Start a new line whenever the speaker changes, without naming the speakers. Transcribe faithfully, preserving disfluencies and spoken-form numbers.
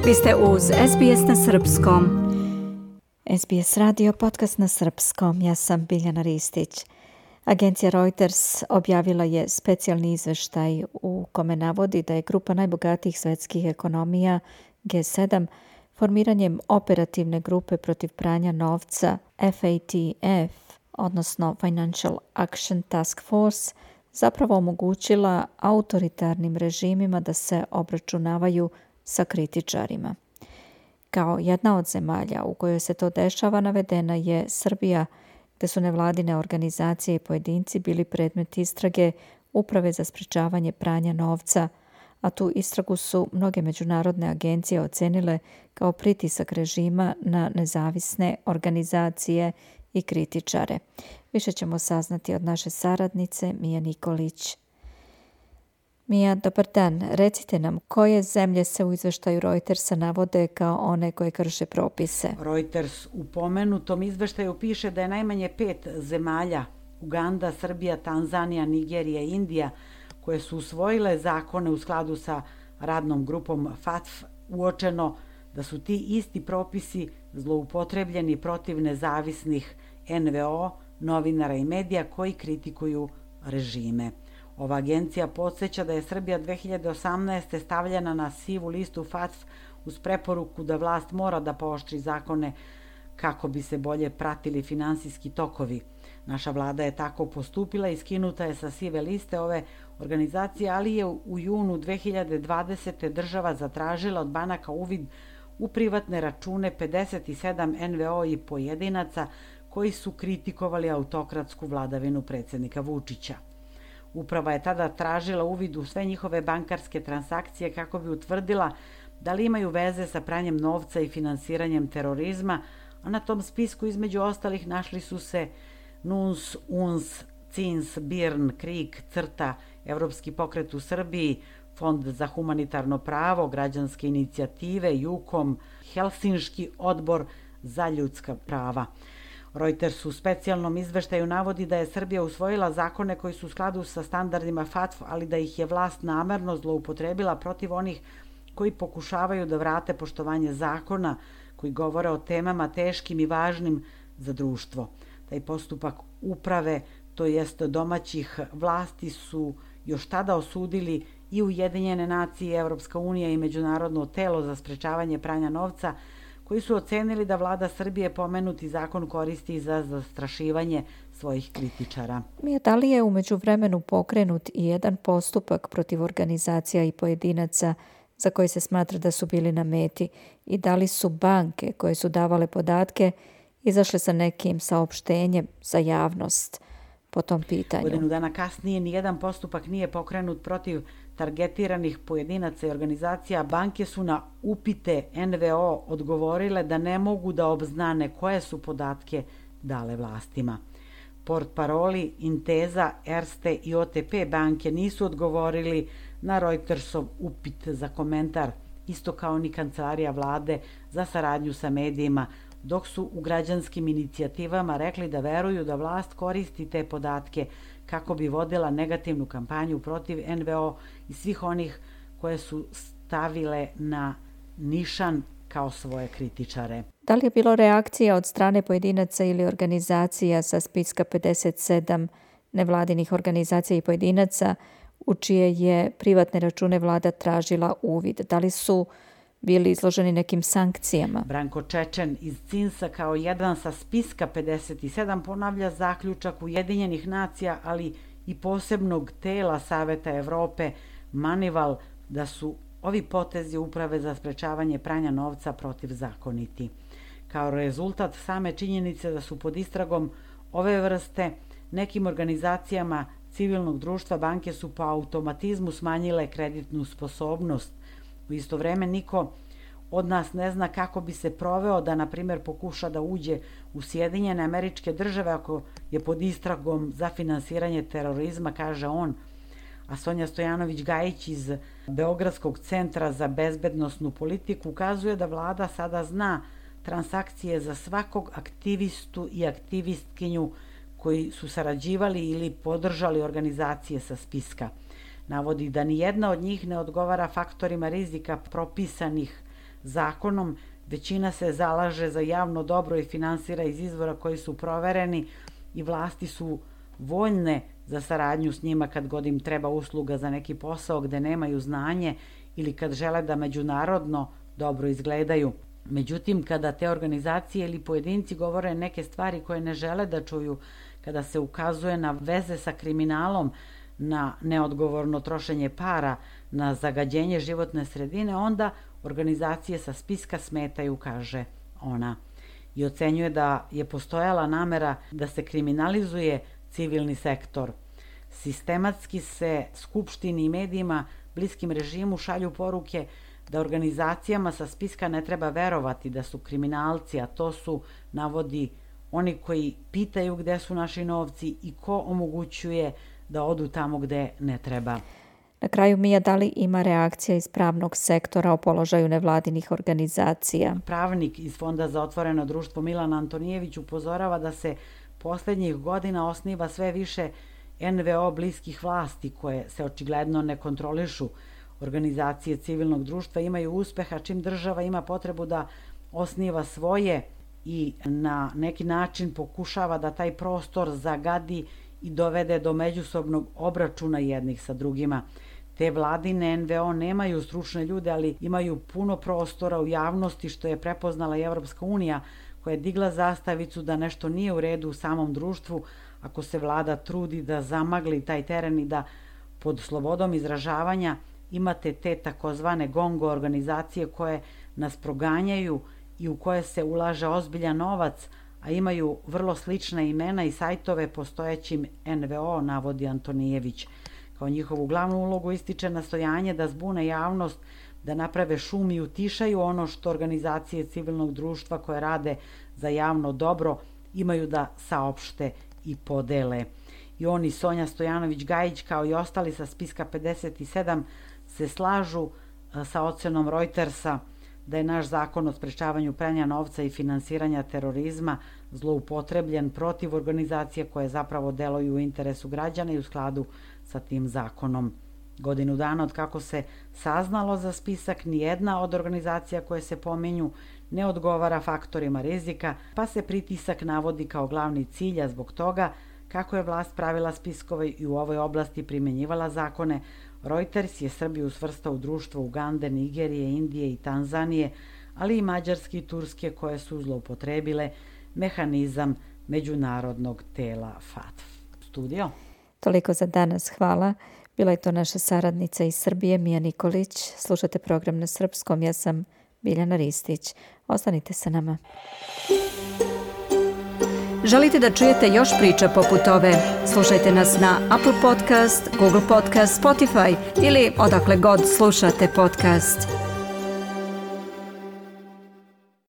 Vi ste uz S B S na srpskom. S B S radio, podcast na srpskom. Ja sam Biljana Ristić. Agencija Reuters objavila je specijalni izveštaj u kome navodi da je grupa najbogatijih svetskih ekonomija G sedam formiranjem operativne grupe protiv pranja novca F A T F, odnosno Financial Action Task Force, zapravo omogućila autoritarnim režimima da se obračunavaju sa kritičarima. Kao jedna od zemalja u kojoj se to dešava navedena je Srbija, gde su nevladine organizacije i pojedinci bili predmet istrage Uprave za sprečavanje pranja novca, a tu istragu su mnoge međunarodne agencije ocenile kao pritisak režima na nezavisne organizacije i kritičare. Više ćemo saznati od naše saradnice Mije Nikolić. Mija, dobar dan. Recite nam, koje zemlje se u izveštaju Reutersa navode kao one koje krše propise?
Reuters u pomenutom izveštaju piše da je najmanje pet zemalja, Uganda, Srbija, Tanzanija, Nigerija i Indija, koje su usvojile zakone u skladu sa radnom grupom F A T F, uočeno da su ti isti propisi zloupotrebljeni protiv nezavisnih N V O, novinara i medija koji kritikuju režime. Ova agencija podsjeća da je Srbija dve hiljade osamnaeste. stavljena na sivu listu F A T F uz preporuku da vlast mora da pooštri zakone kako bi se bolje pratili finansijski tokovi. Naša vlada je tako postupila i skinuta je sa sive liste ove organizacije, ali je u junu dve hiljade dvadesete. država zatražila od banaka uvid u privatne račune pedeset sedam N V O i pojedinaca koji su kritikovali autokratsku vladavinu predsjednika Vučića. Uprava je tada tražila uvid u sve njihove bankarske transakcije kako bi utvrdila da li imaju veze sa pranjem novca i finansiranjem terorizma, a na tom spisku između ostalih našli su se N U N S, U N S, C I N S, B I R N, KRIK, CRTA, Evropski pokret u Srbiji, Fond za humanitarno pravo, građanske inicijative, JUKOM, Helsinški odbor za ljudska prava. Reuters u specijalnom izveštaju navodi da je Srbija usvojila zakone koji su u skladu sa standardima F A T F, ali da ih je vlast namerno zloupotrebila protiv onih koji pokušavaju da vrate poštovanje zakona, koji govore o temama teškim i važnim za društvo. Taj postupak uprave, to jest domaćih vlasti, su još tada osudili i Ujedinjene nacije, Evropska unija i Međunarodno telo za sprečavanje pranja novca, koji su ocenili da vlada Srbije pomenuti zakon koristi za zastrašivanje svojih kritičara.
Mija, da li je u međuvremenu pokrenut i jedan postupak protiv organizacija i pojedinaca za koje se smatra da su bili na meti i da li su banke koje su davale podatke izašle sa nekim saopštenjem za javnost po tom pitanju?
Godinu dana kasnije nijedan postupak nije pokrenut protiv targetiranih pojedinaca i organizacija. Banke su na upite N V O odgovorile da ne mogu da obznane koje su podatke dale vlastima. Portparoli Intesa, Erste i O T P banke nisu odgovorili na Reutersov upit za komentar, isto kao ni kancelarija vlade za saradnju sa medijima, dok su u građanskim inicijativama rekli da veruju da vlast koristi te podatke kako bi vodila negativnu kampanju protiv N V O i svih onih koje su stavile na nišan kao svoje kritičare.
Da li je bilo reakcija od strane pojedinaca ili organizacija sa spiska pedeset sedam nevladinih organizacija i pojedinaca u čije je privatne račune vlada tražila uvid? Da li su bili izloženi nekim sankcijama?
Branko Čečen iz C I N S-a kao jedan sa spiska pedeset sedam ponavlja zaključak Ujedinjenih nacija, ali i posebnog tela Saveta Evrope Manival, da su ovi potezi Uprave za sprečavanje pranja novca protivzakoniti. Kao rezultat same činjenice da su pod istragom ove vrste, nekim organizacijama civilnog društva banke su po automatizmu smanjile kreditnu sposobnost. U isto vreme niko od nas ne zna kako bi se proveo da, na primjer, pokuša da uđe u Sjedinjene Američke Države ako je pod istragom za finansiranje terorizma, kaže on. A Sonja Stojanović-Gajić iz Beogradskog centra za bezbednosnu politiku ukazuje da vlada sada zna transakcije za svakog aktivistu i aktivistkinju koji su sarađivali ili podržali organizacije sa spiska. Navodi da ni jedna od njih ne odgovara faktorima rizika propisanih zakonom. Većina se zalaže za javno dobro i finansira iz izvora koji su provereni i vlasti su voljne za saradnju s njima kad god im treba usluga za neki posao gde nemaju znanje ili kad žele da međunarodno dobro izgledaju. Međutim, kada te organizacije ili pojedinci govore neke stvari koje ne žele da čuju, kada se ukazuje na veze sa kriminalom, na neodgovorno trošenje para, na zagađenje životne sredine, onda organizacije sa spiska smetaju, kaže ona. I ocenjuje da je postojala namera da se kriminalizuje civilni sektor. Sistematski se Skupštini i medijima bliskim režimu šalju poruke da organizacijama sa spiska ne treba verovati da su kriminalci, a to su, navodi, oni koji pitaju gde su naši novci i ko omogućuje da odu tamo gde ne treba.
Na kraju, Mija, da li ima reakcija iz pravnog sektora o položaju nevladinih organizacija?
Pravnik iz Fonda za otvoreno društvo Milan Antonijević upozorava da se poslednjih godina osniva sve više en ve o bliskih vlasti koje se očigledno ne kontrolišu. Organizacije civilnog društva imaju uspeha čim država ima potrebu da osniva svoje i na neki način pokušava da taj prostor zagadi i dovede do međusobnog obračuna jednih sa drugima. Te vladine en ve o nemaju stručne ljude, ali imaju puno prostora u javnosti, što je prepoznala i Evropska unija, koja je digla zastavicu da nešto nije u redu u samom društvu ako se vlada trudi da zamagli taj teren i da pod slobodom izražavanja imate te takozvane gongo organizacije koje nas proganjaju i u koje se ulaže ozbiljan novac, a imaju vrlo slična imena i sajtove postojećim en ve o, navodi Antonijević. Kao njihovu glavnu ulogu ističe nastojanje da zbune javnost, da naprave šum i utišaju ono što organizacije civilnog društva koje rade za javno dobro imaju da saopšte i podele. I oni, Sonja Stojanović-Gajić, kao i ostali sa spiska pedeset sedam, se slažu sa ocenom Reutersa da je naš zakon o sprečavanju pranja novca i finansiranja terorizma zloupotrebljen protiv organizacija koje zapravo deluju u interesu građana i u skladu sa tim zakonom. Godinu dana od kako se saznalo za spisak, nijedna od organizacija koje se pominju ne odgovara faktorima rizika, pa se pritisak navodi kao glavni cilj, a zbog toga kako je vlast pravila spiskove i u ovoj oblasti primjenjivala zakone, Reuters je Srbiju svrstao u društvo Ugande, Nigerije, Indije i Tanzanije, ali i Mađarske i Turske koje su zloupotrebile mehanizam međunarodnog tela F A T F. Studio.
Toliko za danas, hvala. Bila je to naša saradnica iz Srbije, Mija Nikolić. Slušate program na srpskom, ja sam Biljana Ristić. Ostanite sa nama.
Želite da čujete još priča poput ove? Slušajte nas na Apple Podcast, Google Podcast, Spotify ili odakle god slušate podcast.